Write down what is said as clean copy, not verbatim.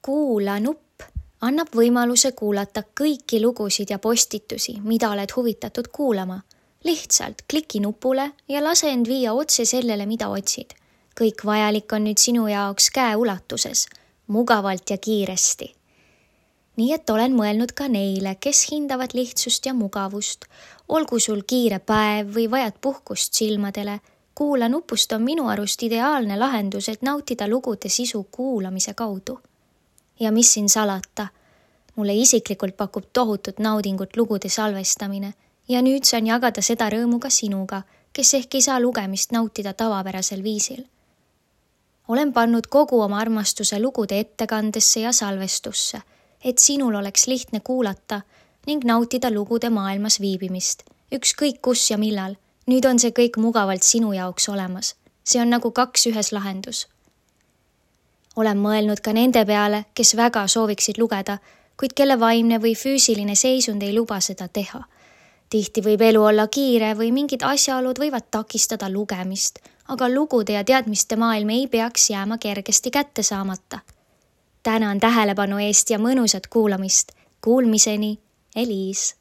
Kuula nupp annab võimaluse kuulata kõiki lugusid ja postitusi, mida oled huvitatud kuulama. Lihtsalt kliki nupule ja lase end viia otse sellele, mida otsid. Kõik vajalik on nüüd sinu jaoks käeulatuses, mugavalt ja kiiresti. Nii et olen mõelnud ka neile, kes hindavad lihtsust ja mugavust. Olgu sul kiire päev või vajad puhkust silmadele. Kuula nupust on minu arust ideaalne lahendus, et nautida lugude sisu kuulamise kaudu. Ja mis siin salata? Mulle isiklikult pakub tohutut naudingut lugude salvestamine ja nüüd saan jagada seda rõõmu ka sinuga, kes ehk ei saa lugemist nautida tavapärasel viisil. Olen pannud kogu oma armastuse lugude ettekandesse ja salvestusse, et sinul oleks lihtne kuulata ning nautida lugude maailmas viibimist. Ükskõik kus ja millal, nüüd on see kõik mugavalt sinu jaoks olemas. See on nagu 2 ühes lahendus. Olen mõelnud ka nende peale, kes väga sooviksid lugeda, kuid kelle vaimne või füüsiline seisund ei luba seda teha. Tihti võib elu olla kiire või mingid asjaolud võivad takistada lugemist, aga lugude ja teadmiste maailm ei peaks jääma kergesti kätte saamata. Tänan tähelepanu eest ja mõnusat kuulamist. Kuulmiseni, Eliis.